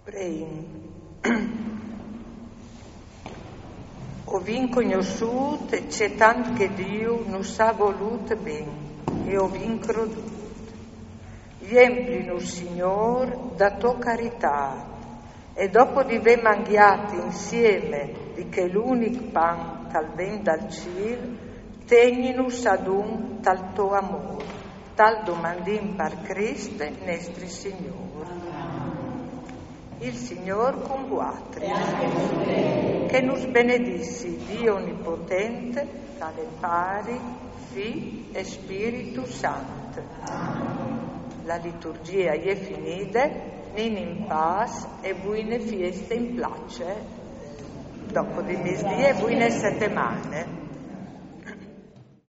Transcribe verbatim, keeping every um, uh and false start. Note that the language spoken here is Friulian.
Preìn. O vin cognossût ce tant che Diu nus à volût ben, e o vin crodût. Jemplinus, Signôr, da tô caritât, e dopo di vê mangjât insiemi di chel unic pan che al ven dal cîl, tegninus adun tal to amôr. Tal domandìn par Crist nestri Signôr. Il Signôr cun vuatris. Che nus benedissi Diu onipotent, che al è Pari, Fi e Spiritu Sant. La liturgjie e je finide, nin in pâs e buine fieste in place, dopo di misdì e buine setemane.